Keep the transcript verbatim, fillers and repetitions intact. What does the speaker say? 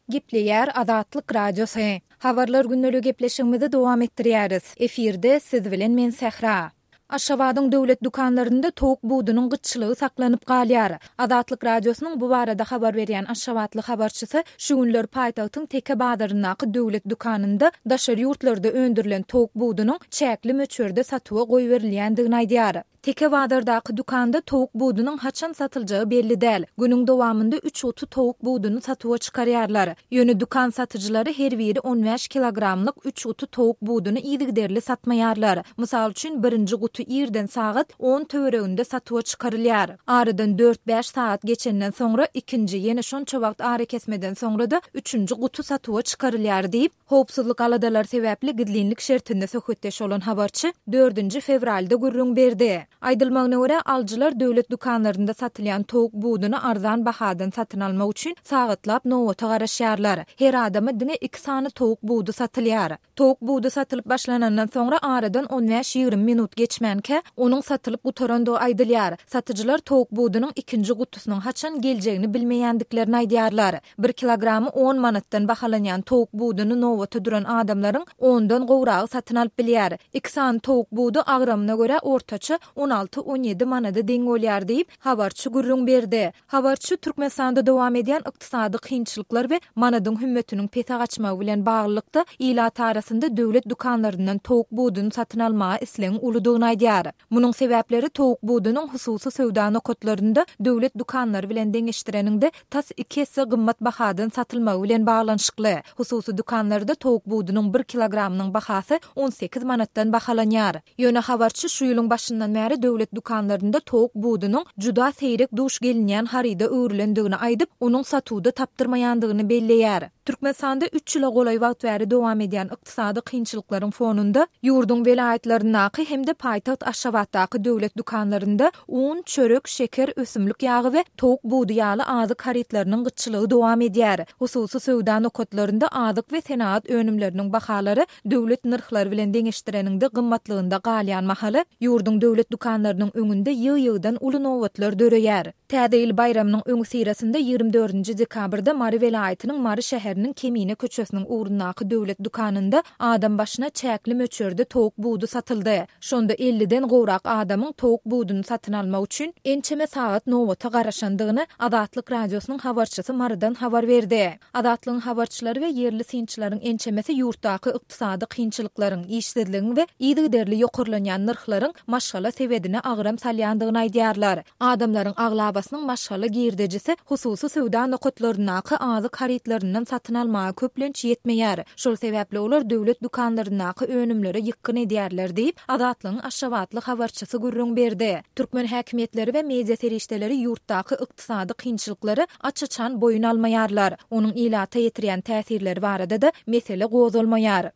Gepleýär Azatlyk Radiosy. Habarlar gündeligi gepleşigimizi dowam etdirýäris. Efirde siz bilen men Sähra. Aşgabadyň döwlet dükanlarynda towuk budunyň gytçylygy saklanyp galýar. Azatlyk Radiosynyň bu barada habar berýän aşgabatly habarçysy şu günler paýtagtyň Teke bazaryndaky döwlet dükanynda daşary ýurtlarda öndürilen towuk budunyň çäkli möçberde satuwa goýberilýändigini aýdýar. Teke bazardaky dükanda towuk budunyň haçan satyljagy belli däl. Günüň dowamynda üç guty towuk buduny satuwa çykarýarlar. Ýöne dükan satyjylary her biri on bäş kilogramlyk üç guty towuk buduny yzygiderli satmaýarlar. Mysal üçin, birinji guty irden sagat on töwereginde satuwa çykarylýar. Aradan dört-bäş sagat geçenden soňra ikinji, ýene şonça wagt arakesmeden soňra-da üçünji guty satuwa çykarylýar diýip, howpsuzlyk aladalary sebäpli gizlinlik şertinde söhbetdeş bolan habarçy dördünji fewralda gürrüň berdi. Aýdylmagyna görä, alyjylar döwlet dükanlarynda satylýan towuk buduny arzan bahadan satyn almak üçin sagatlap nobata garaşýarlar. Her adama diňe iki sany towuk budy satylýar. Towuk budy satylyp başlanandan soňra aradan on bäş-ýigrimi minut geçmänkä, onuň satylyp gutarandygy aýdylýar. Satyjylar towuk budunyň ikinji gutusynyň haçan geljegini bilmeýändiklerini aýdýarlar. Bir kilogramy on manatdan bahalanýan towuk buduny nobata duran adamlaryň ondan gowragy satyn alyp bilýär. Iki sany towuk budy agramyna görä ortaça on alty-on ýedi manada deň bolýar diýip, habarçy gürrüň berdi. Habarçy Türkmenistanda dowam edýän ykdysady kynçylyklar we manadyň hümmetiniň pese gaçmagy bilen baglylykda ilat arasynda döwlet dükanlaryndan towuk buduny satyn almaga islegiň uludygyny aýdýar. Munuň sebäpleri towuk budunyň hususy söwda nokatlarynda döwlet dükanlary bilen deňeşdireniňde tas iki esse gymmat bahadan satylmagy bilen baglanyşykly. Hususy dükanlarda towuk budunyň bir kilogramynyň bahasy on sekiz manatdan bahalanýar. Ýöne habarçy şu ýylyň başyndan bäri döwlet dükanlarynda towuk budunyň juda seýrek duş gelinýän haryda öwrülendigini aýdyp, onuň satuwda tapdyrmaýandygyny belleýär. Türkmenistanda üç ýyla golaý wagt bäri dowam edýän ykdysady kynçylyklaryň fonunda ýurduň welaýatlaryndaky hem-de paýtagt Aşgabatdaky döwlet dükanlarynda un, çörek, şeker, ösümlik ýagy we towuk budy ýaly azyk harytlarynyň gytçylygy dowam edýär. Hususy söwda nokatlarynda azyk we senagat önümleriniň bahalary döwlet nyrhlary bilen deňeşdireniňde gymmatlygynda galýan mahaly ýurduň döwlet dükanlarynyň öňünde ýygy-ýygydan uly nobatlar döreýär. Täze ýyl baýramynyň öňüsyrasynda ýigrimi dördünji dekabrda Mary welaýatynyň Mary şäheriniň Kemine köçesiniň ugrundaky döwlet dükanynda adam başyna çäkli möçberde towuk budy satyldy. Şonda elliden gowrak adamyň towuk buduny satyn almak üçin ençeme sagat nobata garaşandygyny Azatlyk Radiosynyň habarçysy Marydan habar berdi. Azatlygyň habarçylary we ýerli synçylaryň ençemesi ýurtdaky ykdysady kynçylyklaryň, işsizligiň we yzygiderli ýokarlanýan nyrhlaryň maşgala sebedine agram salýandygyny aýdýarlar. Adamlaryň aglabasynyň maşgala girdejisi hususy söwda nokatlaryndaky azyk harytlaryndan satyn almaga köplenç ýetmeýär. Şol sebäpli olar döwlet dükanlaryndaky önümlere ýykgyn edýärler diýip, Azatlygyň Aşgabatly habarçysy gürrüň berdi. Türkmen häkimiýetleri we media serişdeleri ýurtdaky ykdysady kynçylyklary aç-açan boýun almaýarlar. Onuň ilata ýetirýän täsirleri barada-da mesele gozgalmaýar.